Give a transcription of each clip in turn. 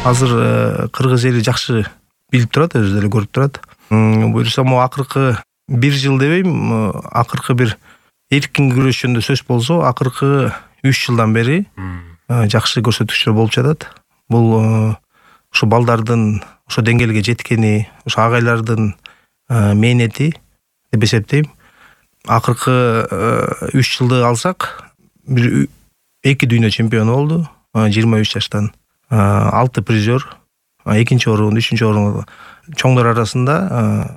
Азыр кыргыз эли жакшы билип турат, өзү деле көрүп турат. Буюрса могу акыркы 1 жыл дебейм, акыркы бир эркин күрөш жөнүндө сөз болсо, акыркы 3 жылдан бери жакшы көрсөтүктөр болуп жатат. Бул ошо балдардын ошо деңгээлге жеткени, ошо агайлардын мээнети деп эсептейм. Акыркы 3 жылды алсак, бир 2 дүйнө чемпиону болду, 23 жаштан. 6 призер, 2-нчи орун, 3-нчү орун. Чоңдор арасында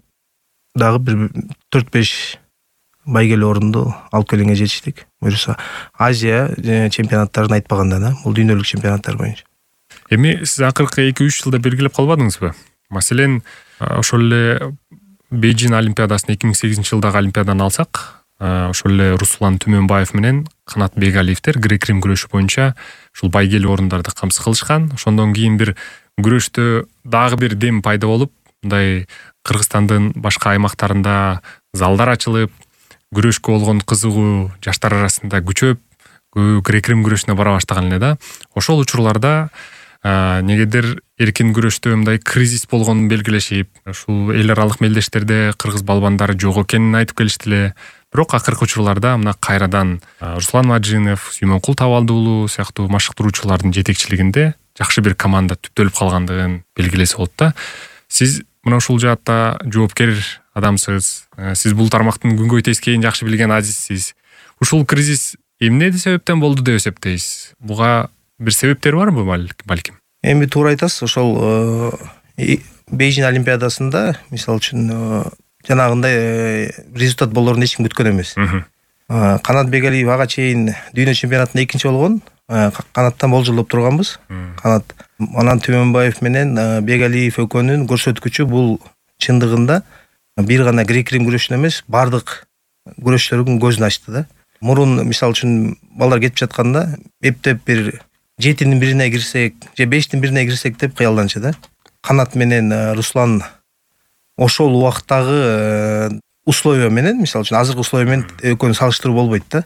дагы бир 4-5 байгелүү орунду алып келгенге жетиштик. Буюрса Азия чемпионаттарын айтпаганда да, бул дүйнөлүк чемпионаттар боюнча. Эми сиз акыркы 2-3 жылда белгилеп калбадыңызбы? Маселен, ошол эле Бейжин олимпиадасын 2008 жылдагы олимпиаданы алсак, ошол эле Руслан Түмөнбаев менен Канат Бегалиевдер грек-рим күрөшү боюнча ушул байгелүү орундарды камсыз кылышкан. Ошондон кийин бир күрөштө дагы бир дем пайда болуп, мындай Кыргызстандын башка аймактарында залдар ачылып, күрөшкө болгон кызыгуу жаштар арасында күчөп, грек-рим күрөшүнө бара баштаган эле да. Ошол учурларда негедир эркин күрөштө мындай кризис болгонун белгилешип, ушул эл аралык мелдештерде кыргыз балбандары жок экенин айтып келишти эле. Бирок акыркы учурларда мына кайрадан Руслан Маджинов, Сүймөнкул Табалды уулу сыяктуу машыктыруучулардын жетекчилигинде жакшы бир команда түптөлүп калгандыгын белгилесе болот да. Сиз мына ушул жаатта жоопкер адамсыз. Сиз бул тармактын күнгөй тескейин жакшы билген азизсиз. Ушул кризис эмне себептен болду деп эсептейсиз? Буга бир себептер барбы балким? Эми туура айтасыз. Ошол Бейжин олимпиадасында, мисалы үчүн, жанагындай результат болорун эч ким күткөн эмес. Канат Бегалиев ага чейин дүйнө чемпионатында 2-нчи болгон. Канаттан болжолдоп турганбыз. Канат анан Түмөнбаев менен Бегалиев экөөнүн көрсөткүчү бул чындыгында бир гана грек-рим күрөшүн эмес, бардык күрөштөрдүн көзүн ачты да. Мурун мисалы үчүн балдар кетип жатканда эптеп бир 7-нин бирине кирсек, же 5-тин бирине кирсек деп кыялданчу да. Канат менен Руслан ошол убактагы условия менен, мисалы үчүн азыркы условия менен экөөнү салыштыруу болбойт да.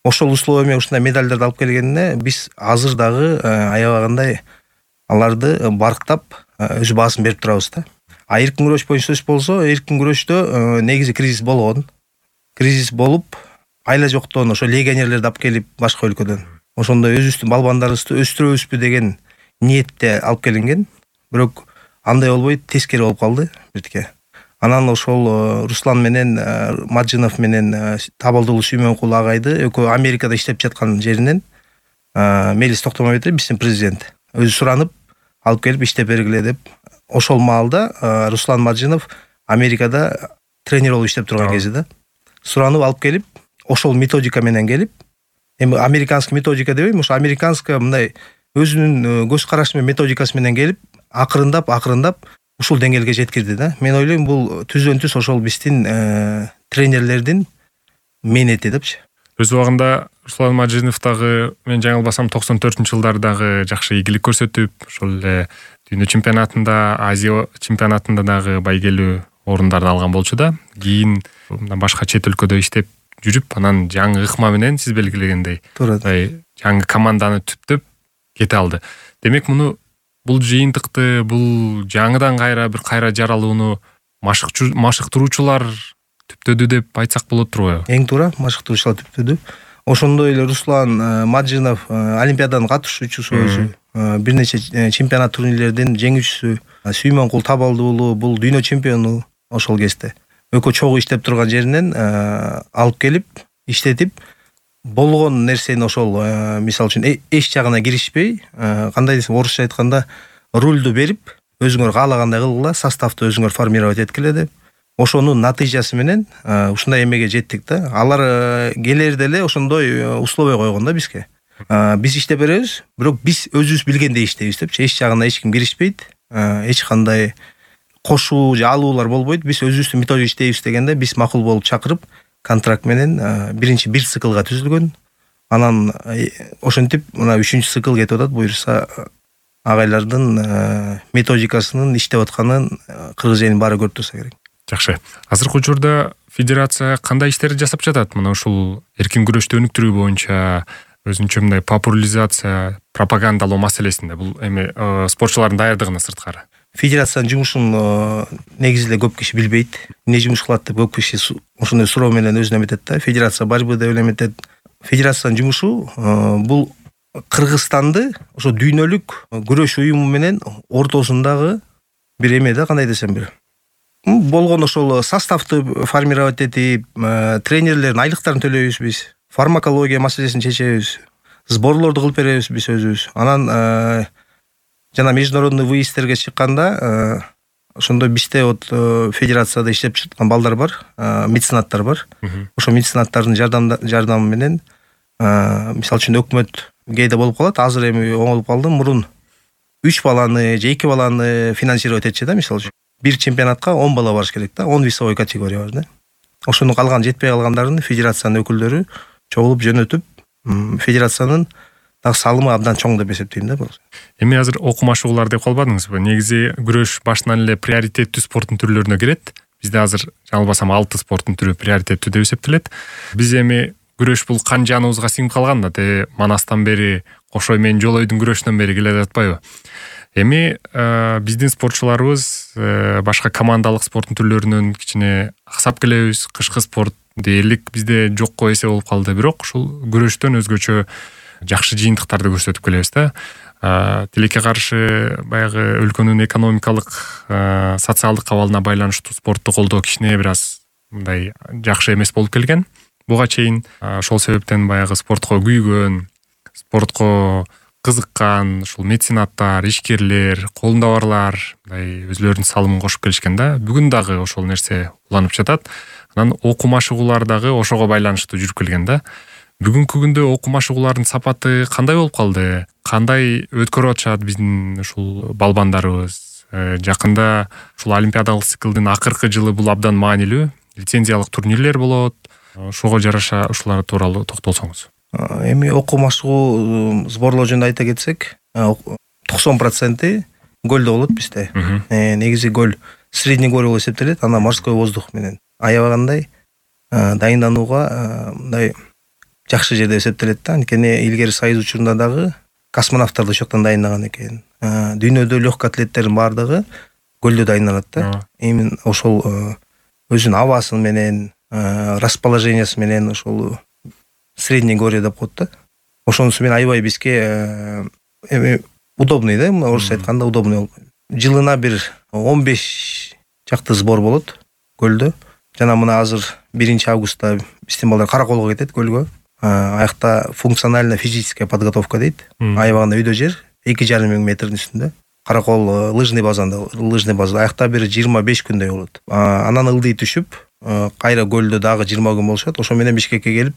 Ошол условия менен ушундай медалдарды алып келгенине биз азыр дагы аябагандай аларды барктап өз баасын берип турабыз да. Эркин күрөш боюнча сөз болсо, эркин күрөштө негизи кризис болгон. Кризис болуп, айла жоктон ошо легионерлерди алып келип башка өлкөдөн. Ошондой өзүбүздүн балбандарыбызды өстүрөбүзбү деген ниетте алып келинген. Бирок андай болбой, тескери болуп калды биртке. Анан ошол Руслан менен Маджинов менен Табалды уулу Сүймөнкул агайды экөө Америкада иштеп жаткан жеринен Мелис Токтомойбетов, биздин президент, өзү суранып алып келип иштеп бергиле деп. Ошол маалда Руслан Маджинов Америкада тренер болуп иштеп турган кезде да. Суранып алып келип, ошол методика менен келип, эми американский методика дебейм, ошо американский мындай өзүнүн көз карашы менен методикасы менен келип, акырындап ушул деңгээлге жеткирди да. Мен ойлойм, бул түздөн-түз ошол биздин тренерлердин мээнети депчи. Өз убагында Руслан Маджинов дагы, мен жаңылбасам, 94-жылдардагы жакшы ийгилик көрсөтүп, ошол эле дүйнө чемпионатында, Азия чемпионатында дагы байгелүү орундарды алган болчу да. Кийин башка чет өлкөдө иштеп жүрүп, анан жаңы ыкма менен сиз белгилегендей жаңы команданы түптөп кете алды. Демек, бул жыйынтыкты, бул жаңыдан кайра жаралууну машыктыруучулар түптөдү деп айтсак болот турбайбы? Эң туура, машыктыруучулар түптөдү. Ошондой эле Руслан Маджинов олимпиаданын катышуучусу өзү, бир нече чемпионат турнирлердин жеңүүчүсү. Сүймөнкул Табалды уулу бул дүйнө чемпиону ошол кезде. Экөө чогуу иштеп турган жеринен алып келип, иштетип, болгон нерсени ошол мисалы үчүн эч жагына киришпей, кандай десем, орусча айтканда, рульду берип, өзүңөр каалагандай кылгыла, составты өзүңөр формировать эткиле деп. Ошонун натыйжасы менен ушундай эмеге жеттик да. Алар келерде эле ошондой условия койгон да бизге. Биз иштеп беребиз, бирок биз өзүбүз билгендей иштейбиз депчи. Эч жагына эч ким киришпейт, эч кандай кошуу же алуулар болбойт. Биз өзүбүздүн методика иштейбиз дегенде биз макул болуп чакырып, контракт менен биринчи 1 циклга түзүлгөн. Анан ошентип мына 3-чү цикл кетип атат. Буюрса агайлардын методикасынын иштеп атканын кыргыз элинин баары көрүп турса керек. Жакшы. Азыркы учурда федерация кандай иштерди жасап жатат? Мына ушул эркин күрөштү өнүктүрүү боюнча, өзүнчө мындай популяризация, пропагандалоо маселесинде бул эми спортчулардын даярдыгына сырткары. Федерациянын жумушун негизи эле көп киши билбейт. Эмне жумуш кылат деп көп киши ошондой суроо менен өзүнө эметет да. Федерация барбы деп эле эметет. Федерациянын жумушу бул Кыргызстанды ошо дүйнөлүк күрөш уюму менен ортосундагы бир эме да, кандай десем бир. Болгон ошол составты формировать этип, тренерлердин айлыктарын төлөйбүз биз. Фармакология маселесин чечебиз. Сборлорду кылып беребиз биз өзүбүз. Анан жана международный выездтерге чыкканда ошондо бизде вот федерацияда иштеп жаткан балдар бар, меценаттар бар. Ошо меценаттардын жардамы менен мисалы үчүн өкмөт кээде болуп калат. Азыр эми оңолуп калды. Мурун 3 баланы же 2 баланы финансировать этчи да, мисалы үчүн. Бир чемпионатка 10 бала барыш керек да, 10 весовой категория бар да. Ошону калган жетпей калгандарын федерациянын өкүлдөрү чогулуп жөнөтүп, федерациянын дагы салымы абдан чоң деп эсептейм да. Эми азыр окумашуулар деп калбадыңызбы? Негизи күрөш башынан эле приоритеттүү спорттун түрлөрүнө кирет. Бизде азыр жаңылбасам 6 спорттун түрү приоритеттүү деп эсептелет. Биз эми күрөш бул кан жаныбызга сиңип калган да, манастан бери, Кошой менен Жолойдун күрөшүнөн бери келе жатпайбы? Эми биздин спортчуларыбыз башка командалык спорттун түрлөрүнөн кичине аксап келебиз. Кышкы спорт дээрлик бизде жокко эсе болуп калды. Бирок ушул күрөштөн өзгөчө жакшы жыйынтыктарды көрсөтүп келебиз да. Тилекке каршы баягы өлкөнүн экономикалык, социалдык абалына байланыштуу спортту колдоо кичине бир аз мындай жакшы эмес болуп келген. Буга чейин ошол себептен баягы спортко күйгөн, спортко кызыккан ушул меценаттар, ишкерлер, колунда барлар мындай өзлөрүнүн салымын кошуп келишкен да. Бүгүн дагы ошол нерсе уланып жатат. Анан окуу машыгуулар дагы ошого байланыштуу жүрүп келген да. Бүгүнкү күндө окуу машыгуулардын сапаты кандай болуп калды? Кандай өткөрүп атышат биздин ушул балбандарыбыз? Жакында ушул олимпиадалык циклдын акыркы жылы бул абдан маанилүү. Лицензиялык турнирлер болот. Ошого жараша ушулар тууралуу токтолсоңуз. Эми окуу машыгуу сборлоо жөнүндө айта кетсек, 90% гөлдө болот бизде. Негизи гөл средний гол болуп эсептелет, анан морской воздух менен аябагандай дайынданууга мындай жакшы жерде эсептелет да. Анткени илгери союз учурунда дагы космонавттарды ошол жактан дайындаган экен. Дүйнөдө легкий атлеттердин баардыгы гөлдө дайындалат да. Эми ошол өзүнүн абасы менен, расположениясы менен ошол средний горе деп коет да. Ошонусу менен аябай бизге эми удобный да, орусча айтканда удобный болуп. Жылына бир 15 чакты сбор болот гөлдө. Жана мына азыр 1 августта биздин балдар Караколго кетет гөлгө. Аякта функциональная физическая подготовка дейт. Аябагында үйдө жер 2,5 метрдин үстүндө. Каракол лыжный базада аякта бир 25 күндөй болот. Анан ылдый түшүп, кайра гөлдө дагы 20 күн болушат. Ошо менен Бишкекке келип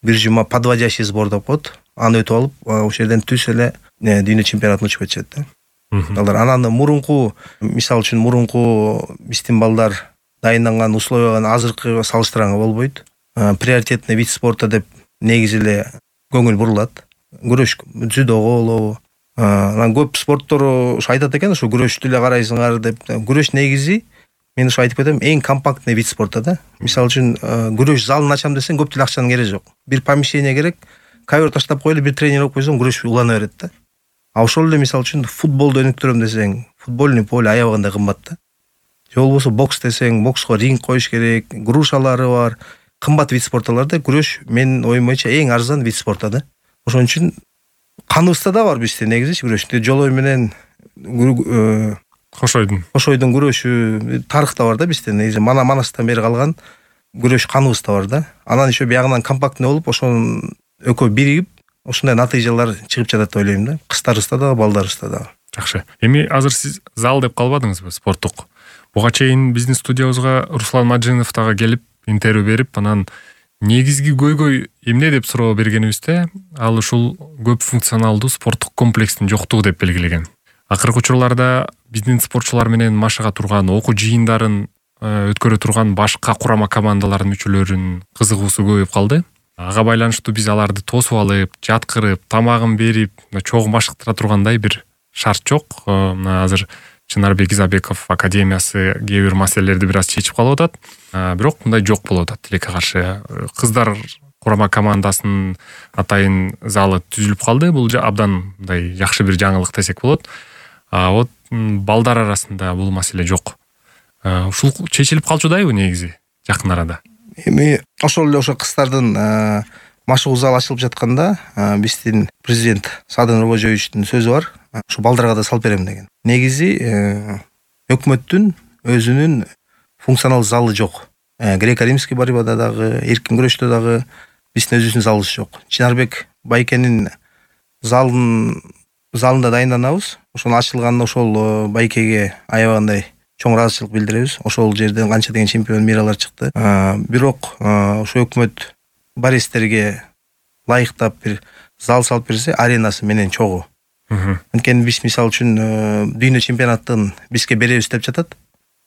бир жума подводящий сбор деп коет. Аны өтүп алып, ошол жерден түз эле дүйнө чемпионатына учуп кетишет да. Балдар анан мурунку, мисалы үчүн мурунку биздин балдар дайынданган условияга азыркы салыштырганга болбойт. Приоритетный вид спорта деп негизи эле көңүл бурулат. Күрөш, дзюдого болобу. Анан көп спорттор ушу айтат экен, ушу күрөштү эле карайсыңар деп. Күрөш негизи мен ушу айтып кетем, эң компактный вид спорта да. Мисалы үчүн күрөш залын ачам десең көп деле акчанын кереги жок. Бир помещение керек, ковер таштап коелу, бир тренер алып койсоң күрөш улана берет да. А ошол эле мисалы үчүн футболду өнүктүрөм десең, футбольный поле аябагында кымбат да. Же болбосо бокс десең, бокско ринг коюш керек, грушалары бар. Кымбат вид спортталарда күрөш менин оюм боюнча эң арзан вид спорта да. Ошон үчүн каныбызда да бар бизде негизи күрөш. Жолой менен Кошойдун күрөшү тарыхта бар да бизде. Негизи манастан бери калган күрөш каныбызда бар да. Анан еще биягынан компактный болуп, ошонун экөө биригип, ушундай натыйжалар чыгып жатат деп ойлойм да. Кыздарыбызда да, балдарыбызда да. Жакшы. Эми азыр сиз зал деп калбадыңызбы, спорттук? Буга чейин биздин студиябызга Руслан Маджинов дагы келип интервью берип, анан негизги көйгөй эмне деп суроо бергенибизде, ал ушул көп функционалдуу спорттук комплекстин жоктугу деп белгилеген. Акыркы учурларда биздин спортчулар менен машыга турган, окуу жыйындарын өткөрө турган башка курама командалардын мүчөлөрүнүн кызыгуусу көбөйүп калды. Ага байланыштуу биз аларды тосуп алып, жаткырып, тамагын берип, чогуу машыктыра тургандай бир шарт жок. Азыр Чынарбек Изабеков академиясы кээ бир маселелерди бир аз чечип калып атат. Бирок мындай жок болуп атат. Тилекке каршы кыздар курама командасынын атайын залы түзүлүп калды. Бул абдан мындай жакшы бир жаңылык десек болот. Вот балдар арасында бул маселе жок. Ушул чечилип калчудайбы негизи жакын арада? Эми ошол эле кыздардын машыгуу залы ачылып жатканда биздин президент Садыр Нуркожоевичтин сөзү бар. Ушу балдарга да салып берем деген. Негизи өкмөттүн өзүнүн функционал залы жок. Греко-римский борьбада дагы, эркин күрөштө дагы биздин өзүбүздүн залыбыз жок. Чынарбек Байкенин залында дайынданабыз. Ошонун ачылганына ошол Байкеге аябагандай чоң ыраазычылык билдиребиз. Ошол жерден канча деген чемпион миралар чыкты. Бирок ошо өкмөт баристерге лайыктап бир зал салып берсе, аренасы менен чогуу. Анткени биз мисалы үчүн дүйнө чемпионатын бизге беребиз деп жатат.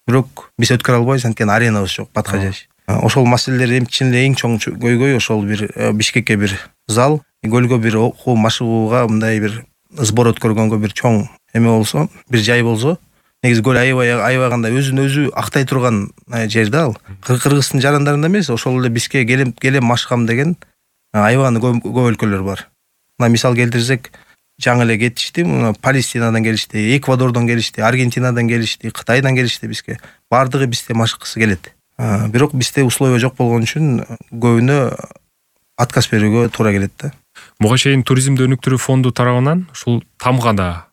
Бирок биз өткөрө албайбыз, анткени аренабыз жок, Баткажаш. Ошол маселелер чын эле эң чоң көйгөй ошол бир Бишкекке бир зал, көлгө бир окуу машыгууга мындай бир сбор өткөргөнгө бир чоң эме болсо, бир жай болсо, негизи көл аябаганда өзүн өзү актай турган жер да ал. Кыргыздын жарандарында эмес, ошол эле бизге келем машкам деген аябаганда көп өлкөлөр бар. Мына мисал келтирсек, жаңы эле кетишти, Палестинадан келишти, Эквадордон келишти, Аргентинадан келишти, Кытайдан келишти бизге. Бардыгы бизде машыккысы келет. Бирок бизде условия жок болгон үчүн көбүнө отказ берүүгө туура келет да. Буга чейин туризмди өнүктүрүү фонду тарабынан ушул Тамгада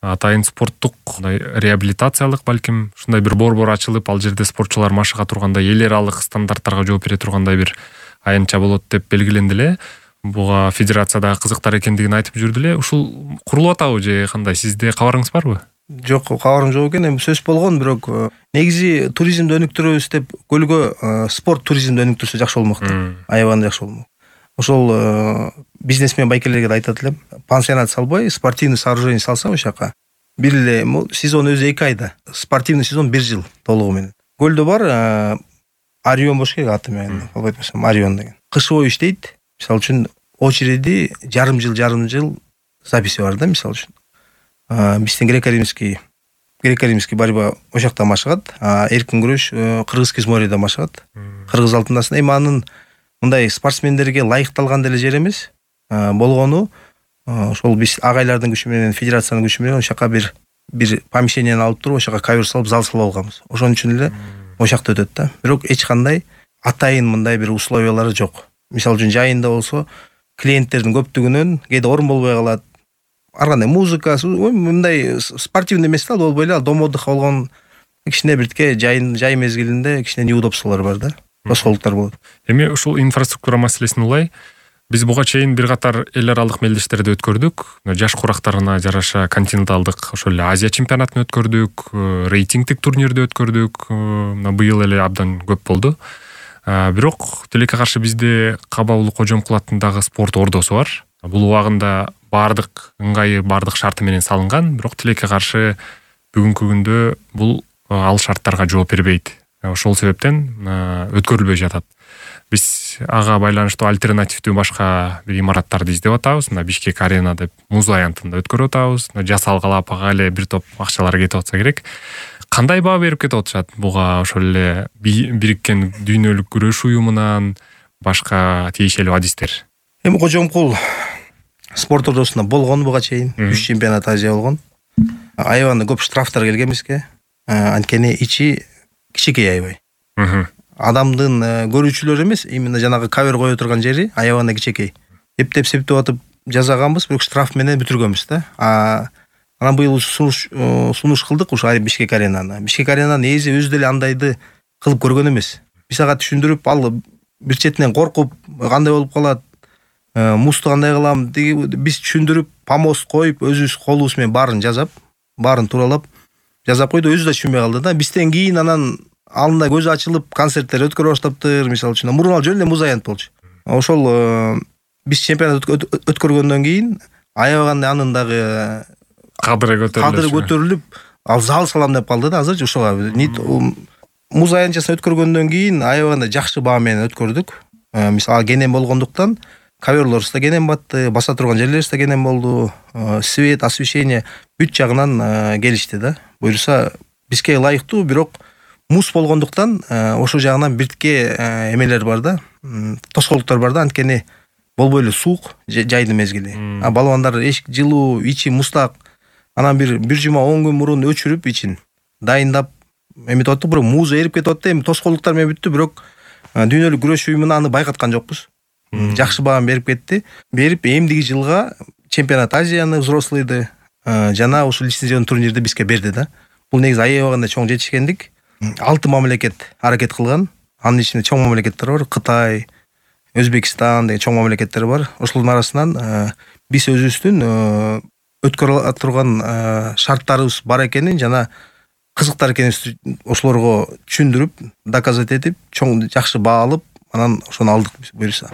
атайын спорттук реабилитациялык балким ушундай бир борбор ачылып, ал жерде спортчулар машыга турганда эл аралык стандарттарга жооп бере тургандай бир аянтча болот деп белгиленди эле. Буга федерацияда кызыктар экендигин айтып жүрдү эле. Ушул курулуп атабы же кандай? Сизде кабарыңыз барбы? Жок, кабарым жок экен. Эми сөз болгон, бирок негизи туризмди өнүктүрөбүз деп көлгө спорт туризмди өнүктүрсө жакшы болмок да. Аябаганда жакшы болмок. Ошол бизнесмен байкелерге да айтат элем, пансионат салбай, спортивный сооружение салса ошол жака. Бир эле сезон өзү 2 айда, спортивный сезон 1 жыл толугу менен. Көлдө бар Орион болуш керек аты менен, албайт болсом Орион деген. Кыш бою иштейт. Мисалы үчүн очереди жарым жыл записи бар да, мисалы үчүн. Биздин греко-римский борьба ошол жакта машыгат, эркин күрөш Кыргызский морьедо машыгат. Кыргыз алтындасын. Эми анын мындай спортсмендерге лайыкталган деле жер эмес болгону, ошол биз агайлардын күчү менен, федерациянын күчү менен ошол жака бир помещениени алып туруп, ошол жака ковер салып, зал салып алганбыз. Ошон үчүн эле ошол жакта өтөт да. Бирок эч кандай атайын мындай бир условиялары жок. Мисалы үчүн жайында болсо, клиенттердин көптүгүнөн кээде орун болбой калат. Ар кандай музыка, мындай спортивный эмес да, болбой эле, дом отдыха болгон кичине биртке жай мезгилинде кичине неудобстволор бар да. Тоскоолдуктар болот. Эми ушул инфраструктура маселесин улай биз буга чейин бир катар эл аралык мелдештерди өткөрдүк. Жаш курактарына жараша континенталдык ошол эле Азия чемпионатын өткөрдүк, рейтингдик турнирди өткөрдүк. Быйыл эле абдан көп болду. Бирок тилекке каршы бизде Каба Улуу Кожомкул атындагы спорт ордосу бар. Бул убагында бардык ыңгайы, бардык шарты менен салынган, бирок тилекке каршы бүгүнкү күндө бул ал шарттарга жооп бербейт. Ошол себептен өткөрүлбөй жатат. Биз ага байланыштуу альтернативдүү башка бир имараттарды издеп атабыз. Мына Бишкек арена деп муз аянтында өткөрүп атабыз. Жасалгалап ага эле бир топ акчалар кетип атса керек. Кандай баа берип кетип атышат буга ошол эле бириккен дүйнөлүк күрөш уюмунан башка тиешелүү адистер? Эми Кожомкул спорт ордосунда болгон буга чейин 3 чемпионат Азия болгон. Аябаганда көп штрафтар келген бизге. Анткени ичи кичинекей аябай. Адамдын көрүүчүлөр эмес, именно жанагы кавер кое турган жери аябаганда кичинекей. Эптеп атып жазаганбыз, бирок штраф менен бүтүргөнбүз да. Анан быйыл сунуш кылдык ушу Бишкек аренаны. Бишкек аренаны негизи өзү деле андайды кылып көргөн эмес. Биз ага түшүндүрүп, ал бир четинен коркуп, кандай болуп калат, музду кандай кылам, биз түшүндүрүп, помост коюп, өзүбүз колубуз менен баарын жазап, баарын тууралап жазап койду, өзү да түшүнбөй калды да. Бизден кийин анан алында көзү ачылып, концерттер өткөрө баштаптыр, мисалы үчүн. Мурун ал жөн эле муз аянт болчу. Ошол биз чемпионат өткөргөндөн кийин аябаганда анын дагы кадыры көтөрүлүп, ал зал салам деп калды да. Азырчы ошого муз аянтчасын өткөргөндөн кийин аябаганда жакшы баа менен өткөрдүк. Мисалы кенен болгондуктан коверлорубуз да кенен батты, баса турган жерлерибиз да кенен болду, свет, освещение бүт жагынан келишти да. Буюрса бизге ылайыктуу, бирок муз болгондуктан ошол жагынан биртке эмелер бар да, тоскоолдуктар бар да, анткени болбой эле суук жайдын мезгили. Балбандар эшик жылуу, ичи муздак. Анан бир жума 10 күн мурун өчүрүп ичин дайындап эметип аттык, бирок муз эрип кетип атты. Эми тоскоолдуктар менен бүттү, бирок дүйнөлүк күрөш уюмуна аны байкаткан жокпуз. Жакшы баам берип кетти. Берип эмдиги жылга чемпионат Азияны взрослыйды жана ушул лицензион турнирди бизге берди да. Бул негизи аябаганда чоң жетишкендик. 6 мамлекет аракет кылган. Анын ичинде чоң мамлекеттер бар. Кытай, Өзбекстан деген чоң мамлекеттер бар. Ошолордун арасынан биз өзүбүздүн өткөрө турган шарттарыбыз бар экенин жана кызыктар экенибизди ошолорго түшүндүрүп, доказать этип, чоң жакшы баа алып, анан ошону алдык буюрса.